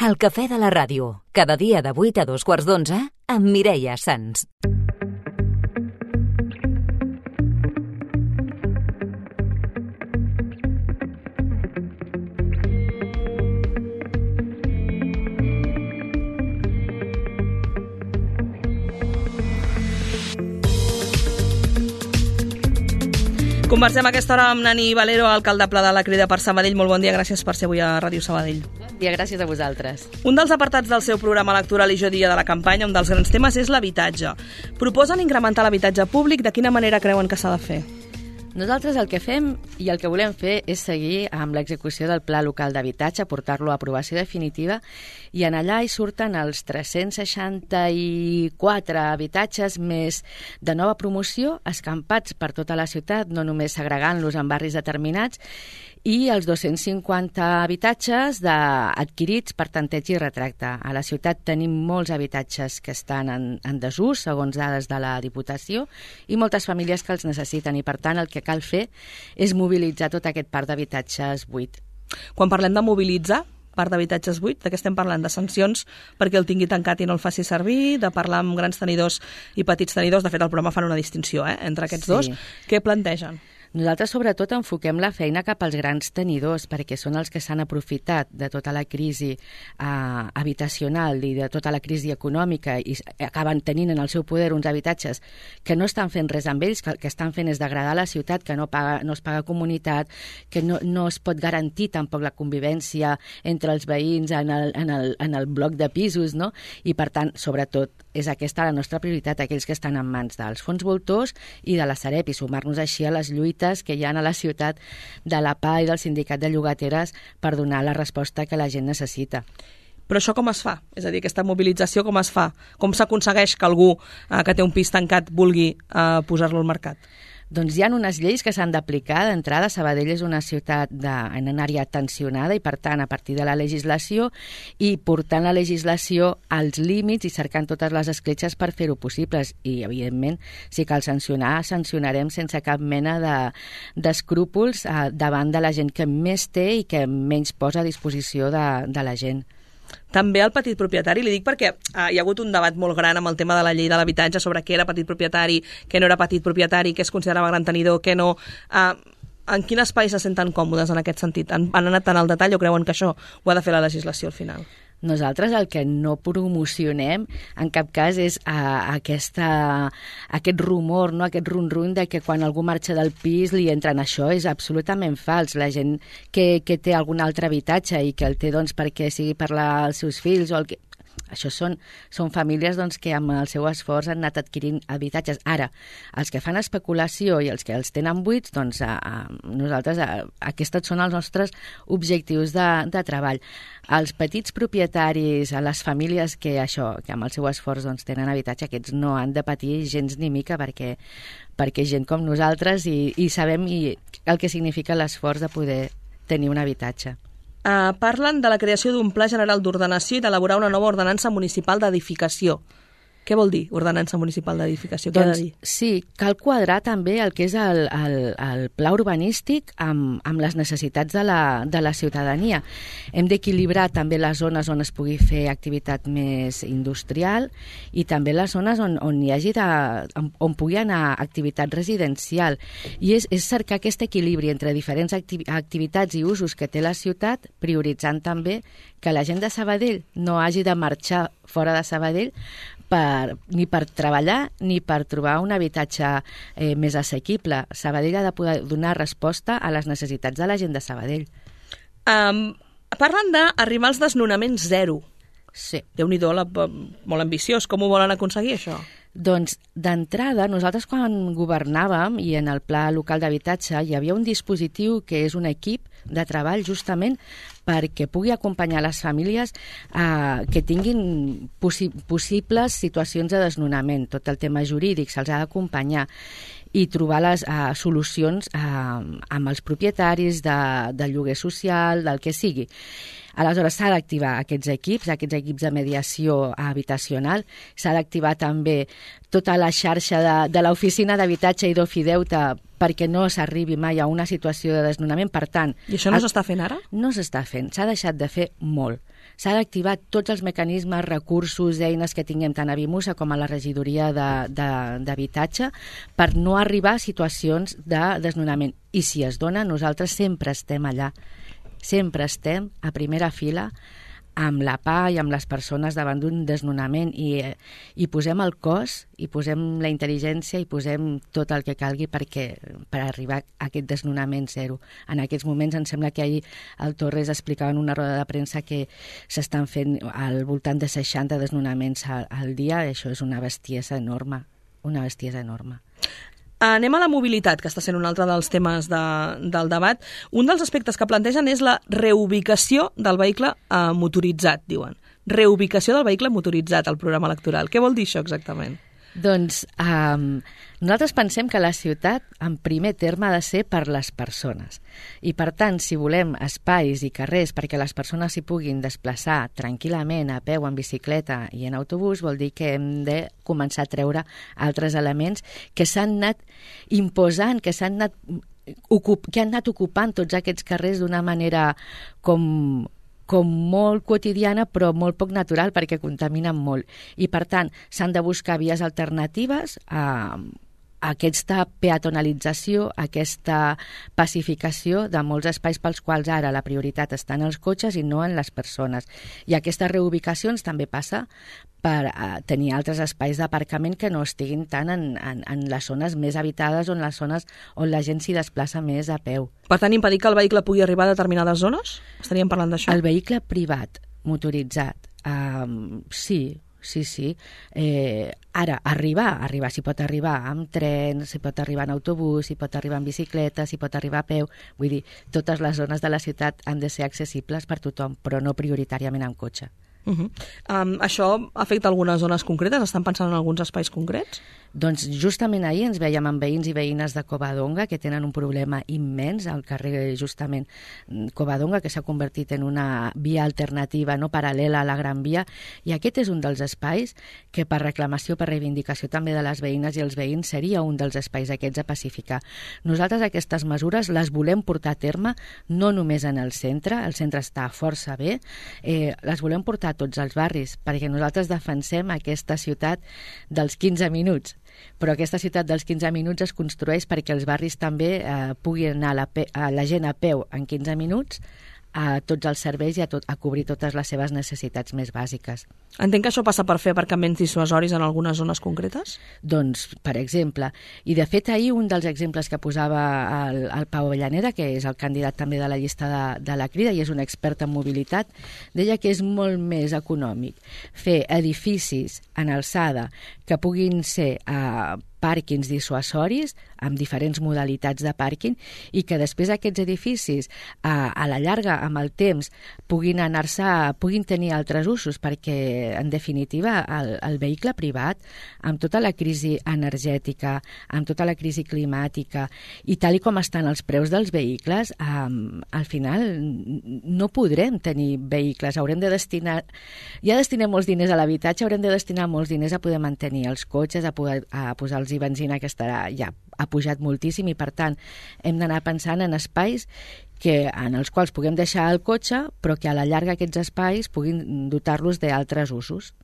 El cafè de la ràdio, cada dia de 8 a 2:15 amb Mireia Sans. Conversem a aquesta hora amb Nani Valero, alcaldable de la Crida per Sabadell. Molt bon dia, gràcies per ser avui a Ràdio Sabadell. Bon dia, gràcies a vosaltres. Un dels apartats del seu programa electoral i jo diria de la campanya, un dels grans temes, és l'habitatge. Proposen incrementar l'habitatge públic. De quina manera creuen que s'ha de fer? Nosaltres el que fem i el que volem fer és seguir amb l'execució del Pla Local d'Habitatge, portar-lo a aprovació definitiva, i en allà hi surten els 364 habitatges més de nova promoció, escampats per tota la ciutat, no només segregant-los en barris determinats, i els 250 habitatges adquirits per tanteig i retracte. A la ciutat tenim molts habitatges que estan en desús, segons dades de la Diputació, i moltes famílies que els necessiten, i per tant el que cal fer és mobilitzar tot aquest parc d'habitatges buit. Quan parlem de mobilitzar parc d'habitatges buit, de què estem parlant? De sancions perquè el tingui tancat i no el faci servir, de parlar amb grans tenidors i petits tenidors. De fet, el programa fan una distinció entre aquests dos. Què plantegen? Nosaltres, sobretot, enfoquem la feina cap als grans tenidors, perquè són els que s'han aprofitat de tota la crisi habitacional i de tota la crisi econòmica i acaben tenint en el seu poder uns habitatges que no estan fent res amb ells, que el que estan fent és degradar la ciutat, que no es paga comunitat, que no es pot garantir tampoc la convivència entre els veïns en el bloc de pisos, no? I, per tant, sobretot, és aquesta la nostra prioritat, aquells que estan en mans dels fons voltors i de la Sareb, i sumar-nos així a les lluites que hi ha a la ciutat de la PA i del Sindicat de Llogateres per donar la resposta que la gent necessita. Però això com es fa? És a dir, aquesta mobilització com es fa? Com s'aconsegueix que algú que té un pis tancat vulgui posar-lo al mercat? Doncs hi ha unes lleis que s'han d'aplicar. D'entrada, Sabadell és una ciutat en una àrea tensionada i, per tant, a partir de la legislació i portant la legislació als límits i cercant totes les escletxes per fer-ho possibles. I, evidentment, si cal sancionar, sancionarem sense cap mena d'escrúpols davant de la gent que més té i que menys posa a disposició de la gent. També el petit propietari, li dic perquè hi ha hagut un debat molt gran amb el tema de la llei de l'habitatge sobre què era petit propietari, què no era petit propietari, què es considerava gran tenidor, què no. En quin espai se senten còmodes en aquest sentit? Han anat tan al detall o creuen que això ho ha de fer la legislació al final? Nosaltres el que no promocionem en cap cas és aquest rumor, no? Aquest run-run de que quan algú marxa del pis li entren. Això és absolutament fals. La gent que té algun altre habitatge i que el té perquè sigui per als seus fills o el que... Això són famílies que amb el seu esforç han anat adquirint habitatges. Ara, els que fan especulació i els que els tenen buits, nosaltres, aquests són els nostres objectius de treball. Els petits propietaris, a les famílies que amb el seu esforç tenen habitatge, aquests no han de patir gens ni mica perquè gent com nosaltres i sabem el que significa l'esforç de poder tenir un habitatge. Parlen de la creació d'un pla general d'ordenació i d'elaborar una nova ordenança municipal d'edificació. Què vol dir ordenança municipal d'edificació? Què ha de dir? Sí, cal quadrar també el que és el pla urbanístic amb les necessitats de la ciutadania. Hem d'equilibrar també les zones on es pugui fer activitat més industrial i també les zones on pugui anar activitat residencial. I és cercar aquest equilibri entre diferents activitats i usos que té la ciutat, prioritzant també que la gent de Sabadell no hagi de marxar fora de Sabadell ni per treballar ni per trobar un habitatge més assequible. Sabadell ha de poder donar resposta a les necessitats de la gent de Sabadell. Parlen d'arribar als desnonaments zero. Sí. Déu-n'hi-do, molt ambiciós. Com ho volen aconseguir, això? Doncs, d'entrada, nosaltres quan governàvem i en el Pla Local d'Habitatge hi havia un dispositiu que és un equip de treball justament perquè pugui acompanyar les famílies que tinguin possibles situacions de desnonament. Tot el tema jurídic se'ls ha d'acompanyar i trobar les solucions amb els propietaris de lloguer social, del que sigui. Aleshores, s'ha d'activar aquests equips de mediació habitacional, s'ha d'activar també tota la xarxa de l'oficina d'habitatge i d'Ofideute perquè no s'arribi mai a una situació de desnonament. Per tant... I això no s'està fent ara? No s'està fent, s'ha deixat de fer molt. S'ha d'activar tots els mecanismes, recursos, eines que tinguem tant a Vimusa com a la regidoria d'habitatge per no arribar a situacions de desnonament. I si es dona, nosaltres sempre estem allà. Sempre estem a primera fila amb la PA i amb les persones davant d'un desnonament i posem el cos, i posem la intel·ligència i posem tot el que calgui per arribar a aquest desnonament zero. En aquests moments em sembla que ahir el Torres explicava en una roda de premsa que s'estan fent al voltant de 60 desnonaments al dia. Això és una bestiesa enorme, una bestiesa enorme. Anem a la mobilitat, que està sent un altre dels temes del debat. Un dels aspectes que plantegen és la reubicació del vehicle motoritzat, diuen. Reubicació del vehicle motoritzat al programa electoral. Què vol dir això exactament? Doncs nosaltres pensem que la ciutat, en primer terme, ha de ser per les persones. I, per tant, si volem espais i carrers perquè les persones s'hi puguin desplaçar tranquil·lament, a peu, en bicicleta i en autobús, vol dir que hem de començar a treure altres elements que s'han anat imposant, que han anat ocupant tots aquests carrers d'una manera com molt quotidiana però molt poc natural perquè contaminen molt. I, per tant, s'han de buscar vies alternatives a aquesta peatonalització, aquesta pacificació de molts espais pels quals ara la prioritat està en els cotxes i no en les persones. I aquestes reubicacions també passa per tenir altres espais d'aparcament que no estiguin tant en les zones més habitades o en les zones on la gent s'hi desplaça més a peu. Per tant, impedir que el vehicle pugui arribar a determinades zones? Estaríem parlant d'això? El vehicle privat motoritzat, sí. Ara, arribar, s'hi pot arribar amb tren, s'hi pot arribar en autobús, s'hi pot arribar en bicicleta, s'hi pot arribar a peu. Vull dir, totes les zones de la ciutat han de ser accessibles per tothom, però no prioritàriament en cotxe. Això afecta algunes zones concretes? Estan pensant en alguns espais concrets? Doncs justament ahir ens veiem amb veïns i veïnes de Covadonga que tenen un problema immens al carrer, justament Covadonga, que s'ha convertit en una via alternativa no paral·lela a la Gran Via, i aquest és un dels espais que per reclamació, per reivindicació també de les veïnes i els veïns seria un dels espais aquests a pacificar. Nosaltres aquestes mesures les volem portar a terme no només en el centre està força bé, les volem portar a tots els barris, perquè nosaltres defensem aquesta ciutat dels 15 minuts. Però aquesta ciutat dels 15 minuts es construeix perquè els barris també puguin anar la gent a peu en 15 minuts a tots els serveis i a cobrir totes les seves necessitats més bàsiques. Entenc que això passa per fer aparcaments dissuasoris en algunes zones concretes? Doncs, per exemple, i de fet ahir un dels exemples que posava el Pau Avellaneda, que és el candidat també de la llista de la Crida i és un expert en mobilitat, deia que és molt més econòmic fer edificis en alçada que puguin ser pàrquings dissuasoris amb diferents modalitats de pàrquing i que després aquests edificis a la llarga, amb el temps, puguin tenir altres usos, perquè en definitiva el vehicle privat, amb tota la crisi energètica, amb tota la crisi climàtica i tal com estan els preus dels vehicles, al final no podrem tenir vehicles, haurem de destinar, ja destinem molts diners a l'habitatge, haurem de destinar molts diners a poder mantenir els cotxes, a posar-los benzina, que ha pujat moltíssim, i per tant hem d'anar pensant en espais en els quals puguem deixar el cotxe, però que a la llarga aquests espais puguin dotar-los d'altres usos.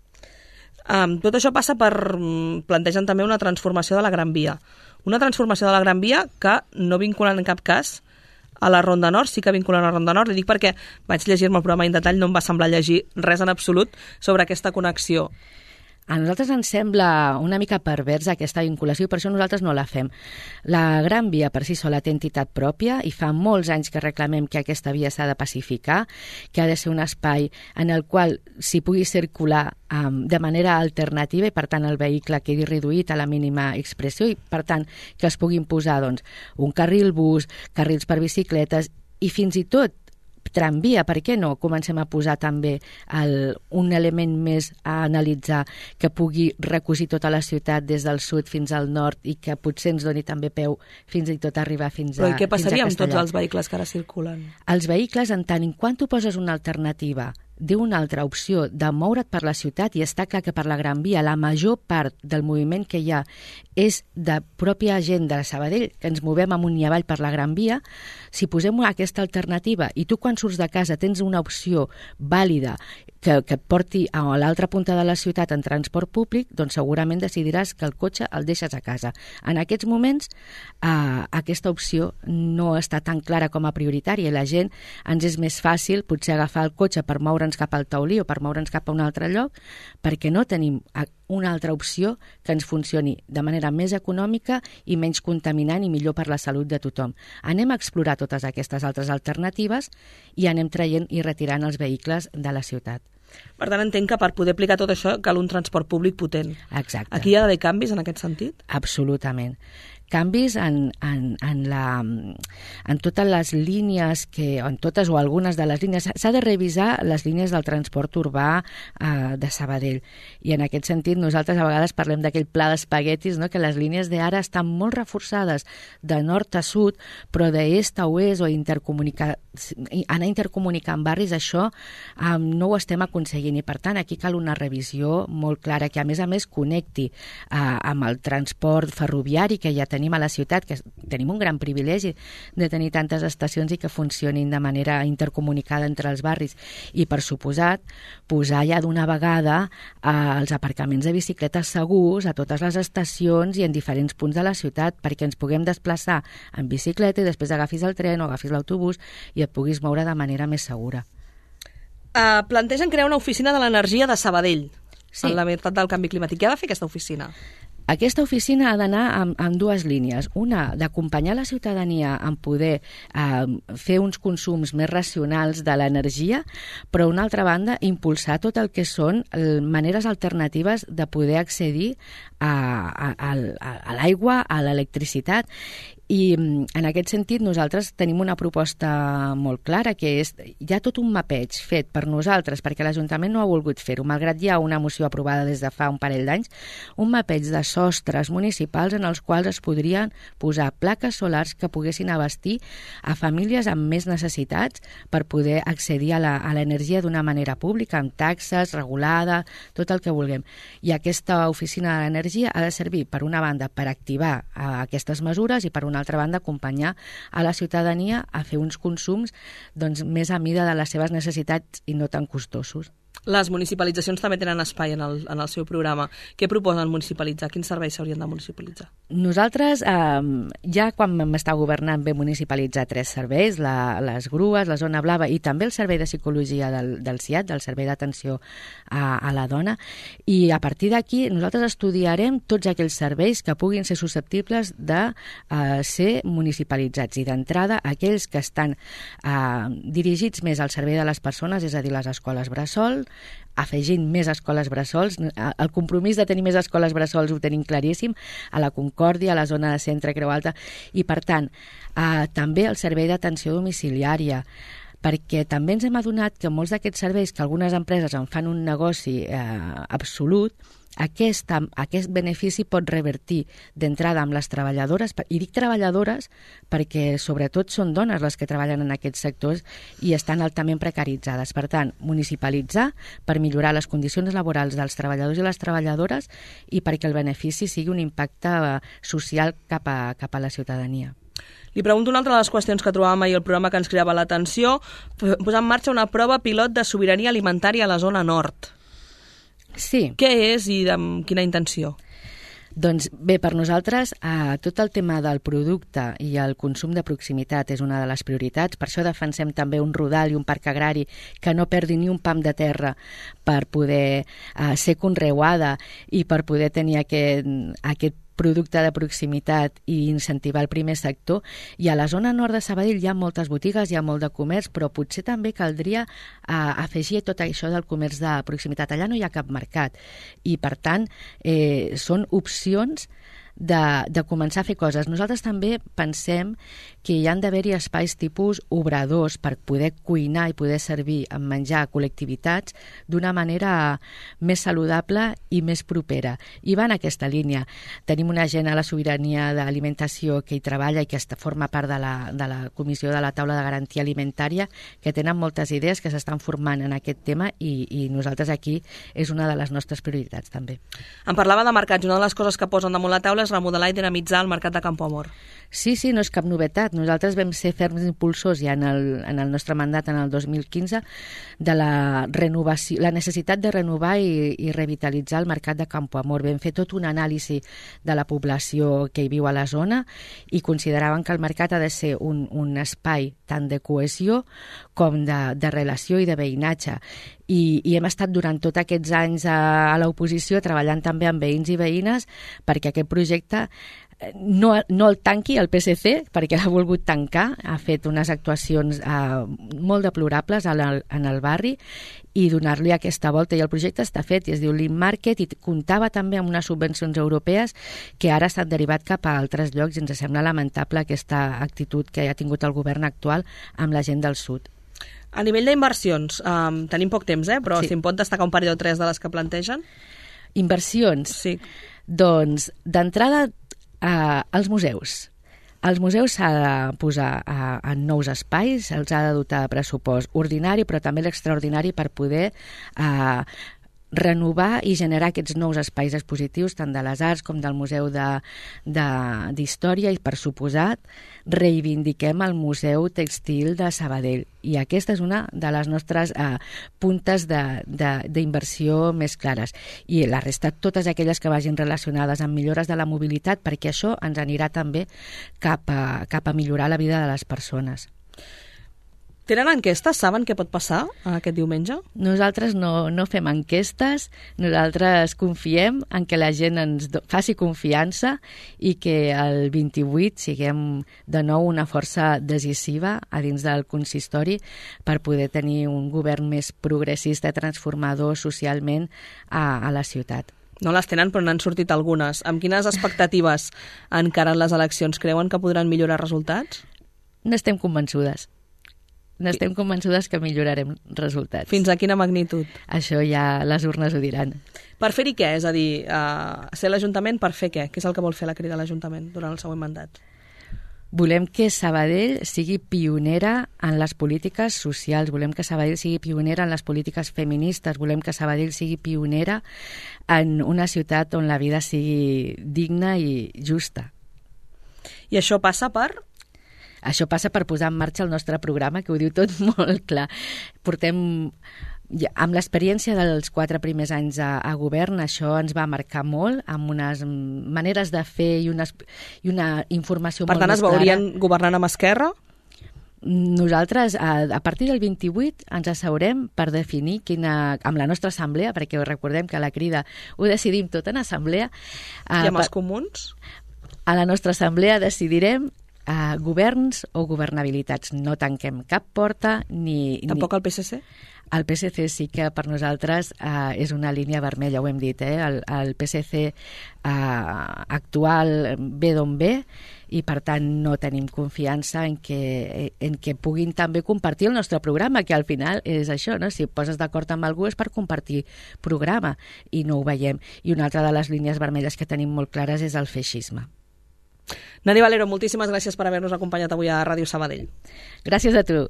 Tot això passa plantegen també una transformació de la Gran Via. Una transformació de la Gran Via que no vinculen en cap cas a la Ronda Nord, sí que vinculen a la Ronda Nord. Li dic perquè vaig llegir-me el programa en detall, no em va semblar llegir res en absolut sobre aquesta connexió. A nosaltres ens sembla una mica perversa aquesta vinculació i per això nosaltres no la fem. La Gran Via per si sola té entitat pròpia i fa molts anys que reclamem que aquesta via s'ha de pacificar, que ha de ser un espai en el qual s'hi pugui circular de manera alternativa i per tant el vehicle quedi reduït a la mínima expressió i per tant que es puguin posar un carril bus, carrils per bicicletes i fins i tot tramvia, per què no? Comencem a posar també un element més a analitzar que pugui recosir tota la ciutat des del sud fins al nord i que potser ens doni també peu fins i tot arribar fins a Castellar. Però i què passaria amb tots els vehicles que ara circulen? Els vehicles, en tant en quant tu poses una alternativa diu una altra opció de moure't per la ciutat, i està clar que per la Gran Via la major part del moviment que hi ha és de pròpia gent de Sabadell, que ens movem amunt i avall per la Gran Via. Si posem aquesta alternativa i tu quan surts de casa tens una opció vàlida que et porti a l'altra punta de la ciutat en transport públic, doncs segurament decidiràs que el cotxe el deixes a casa. En aquests moments aquesta opció no està tan clara com a prioritària i la gent ens és més fàcil potser agafar el cotxe per moure'ns cap al Taulí o per moure'ns cap a un altre lloc, perquè no tenim una altra opció que ens funcioni de manera més econòmica i menys contaminant i millor per la salut de tothom. Anem a explorar totes aquestes altres alternatives i anem traient i retirant els vehicles de la ciutat. Per tant, entenc que per poder aplicar tot això cal un transport públic potent. Exacte. Aquí hi ha d'haver canvis en aquest sentit? Absolutament. Canvis en totes les línies, en totes o algunes de les línies. S'ha de revisar les línies del transport urbà de Sabadell. I en aquest sentit nosaltres a vegades parlem d'aquell pla d'espaguetis, no? Que les línies d'ara estan molt reforçades de nord a sud, però d'est a oest o anar intercomunicant barris, això no ho estem aconseguint. I per tant aquí cal una revisió molt clara que a més connecti amb el transport ferroviari que ja tenim a la ciutat, que tenim un gran privilegi de tenir tantes estacions i que funcionin de manera intercomunicada entre els barris. I, per suposat, posar ja d'una vegada els aparcaments de bicicletes segurs a totes les estacions i en diferents punts de la ciutat, perquè ens puguem desplaçar en bicicleta i després agafis el tren o agafis l'autobús i et puguis moure de manera més segura. Plantegen crear una oficina de l'energia de Sabadell, sí, en la veritat del canvi climàtic. Què ha de fer aquesta oficina? Aquesta oficina ha d'anar en dues línies. Una, d'acompanyar la ciutadania en poder fer uns consums més racionals de l'energia, però, una altra banda, impulsar tot el que són maneres alternatives de poder accedir a l'aigua, a l'electricitat. I en aquest sentit nosaltres tenim una proposta molt clara, que és, hi ha tot un mapeig fet per nosaltres, perquè l'Ajuntament no ha volgut fer-ho, malgrat hi ha una moció aprovada des de fa un parell d'anys, un mapeig de sostres municipals en els quals es podrien posar plaques solars que poguessin abastir a famílies amb més necessitats per poder accedir a l'energia d'una manera pública, amb taxes, regulada, tot el que vulguem. I aquesta oficina de l'energia ha de servir, per una banda, per activar aquestes mesures i, per una altra banda, acompanyar a la ciutadania a fer uns consums més a mida de les seves necessitats i no tan costosos. Les municipalitzacions també tenen espai en el seu programa. Què proposen municipalitzar? Quins serveis s'haurien de municipalitzar? Nosaltres, ja quan vam estar governant, vam municipalitzar 3 serveis, les grues, la zona blava i també el servei de psicologia del CIAT, del Servei d'Atenció a la Dona, i a partir d'aquí nosaltres estudiarem tots aquells serveis que puguin ser susceptibles de ser municipalitzats, i d'entrada aquells que estan dirigits més al servei de les persones, és a dir, les escoles bressol, afegint més escoles bressols. El compromís de tenir més escoles bressols ho tenim claríssim, a la Concòrdia, a la zona de centre, Creu Alta, i per tant també el servei d'atenció domiciliària, perquè també ens hem adonat que molts d'aquests serveis, que algunes empreses en fan un negoci absolut, aquest benefici pot revertir d'entrada amb les treballadores, i dic treballadores perquè sobretot són dones les que treballen en aquests sectors i estan altament precaritzades. Per tant, municipalitzar per millorar les condicions laborals dels treballadors i les treballadores i perquè el benefici sigui un impacte social cap a la ciutadania. Li pregunto una altra de les qüestions que trobàvem ahir al programa que ens cridava l'atenció, posar en marxa una prova pilot de sobirania alimentària a la zona nord. Sí. Què és i amb quina intenció? Doncs bé, per nosaltres tot el tema del producte i el consum de proximitat és una de les prioritats, per això defensem també un rodal i un parc agrari que no perdi ni un pam de terra per poder ser conreuada i per poder tenir aquest producte de proximitat i incentivar el primer sector. I a la zona nord de Sabadell hi ha moltes botigues, hi ha molt de comerç, però potser també caldria afegir tot això del comerç de proximitat. Allà no hi ha cap mercat i, per tant, són opcions de començar a fer coses. Nosaltres també pensem que hi han d'haver-hi espais tipus obradors per poder cuinar i poder servir en menjar a col·lectivitats d'una manera més saludable i més propera. I va en aquesta línia. Tenim una gent a la sobirania d'alimentació que hi treballa i que forma part de la comissió de la taula de garantia alimentària, que tenen moltes idees que s'estan formant en aquest tema i nosaltres aquí és una de les nostres prioritats també. Em parlava de mercats. Una de les coses que posen damunt la taula és remodelar i dinamitzar el mercat de Campoamor. Sí, no és cap novetat. Nosaltres vam ser ferms impulsors ja en el nostre mandat en el 2015 de la renovació, la necessitat de renovar i revitalitzar el mercat de Campoamor. Vam fer tot un anàlisi de la població que hi viu a la zona i consideraven que el mercat ha de ser un espai tant de cohesió com de relació i de veïnatge. I hem estat durant tots aquests anys a l'oposició treballant també amb veïns i veïnes perquè aquest projecte no el tanqui el PSC, perquè l'ha volgut tancar, ha fet unes actuacions molt deplorables en el barri i donar-li aquesta volta. I el projecte està fet i es diu Lean Market i comptava també amb unes subvencions europees que ara s'han derivat cap a altres llocs i ens sembla lamentable aquesta actitud que ha tingut el govern actual amb la gent del sud. A nivell d'inversions, tenim poc temps, però sí. Si em pot destacar un parell o tres de les que plantegen? Inversions? Sí. Doncs, d'entrada, als museus. Els museus s'ha de posar en nous espais, se'ls ha de dotar de pressupost ordinari, però també l'extraordinari per poder renovar i generar aquests nous espais expositius, tant de les arts com del Museu d'Història i, per suposat, reivindiquem el Museu Textil de Sabadell. I aquesta és una de les nostres puntes d'inversió més clares. I la resta, totes aquelles que vagin relacionades amb millores de la mobilitat, perquè això ens anirà també cap a millorar la vida de les persones. Tenen enquestes? Saben què pot passar aquest diumenge? Nosaltres no fem enquestes, nosaltres confiem en que la gent ens faci confiança i que el 28 siguem de nou una força decisiva a dins del consistori per poder tenir un govern més progressista, transformador socialment a la ciutat. No les tenen, però n'han sortit algunes. Amb quines expectatives encaren les eleccions? Creuen que podran millorar resultats? N'estem convençudes. N'estem convençudes que millorarem resultats. Fins a quina magnitud? Això ja les urnes ho diran. Per fer-hi què? És a dir, ser l'Ajuntament per fer què? Què és el que vol fer la Crida a l'Ajuntament durant el següent mandat? Volem que Sabadell sigui pionera en les polítiques socials, volem que Sabadell sigui pionera en les polítiques feministes, volem que Sabadell sigui pionera en una ciutat on la vida sigui digna i justa. I això passa per? Això passa per posar en marxa el nostre programa, que ho diu tot molt clar. Amb l'experiència dels 4 primers anys a govern, això ens va marcar molt, amb unes maneres de fer i una informació molt més clara. Per tant, es veurien governant amb Esquerra? Nosaltres, a partir del 28, ens asseurem per definir amb la nostra assemblea, perquè recordem que la Crida ho decidim tot en assemblea. I amb els comuns? A la nostra assemblea decidirem governs o governabilitats. No tanquem cap porta ni... Tampoc el PSC? El PSC sí que per nosaltres és una línia vermella, ho hem dit. El PSC actual ve d'on ve i per tant no tenim confiança en que puguin també compartir el nostre programa, que al final és això, no? Si et poses d'acord amb algú és per compartir programa i no ho veiem. I una altra de les línies vermelles que tenim molt clares és el feixisme. Nani Valero, moltíssimes gràcies per haver-nos acompanyat avui a Ràdio Sabadell. Gràcies a tu.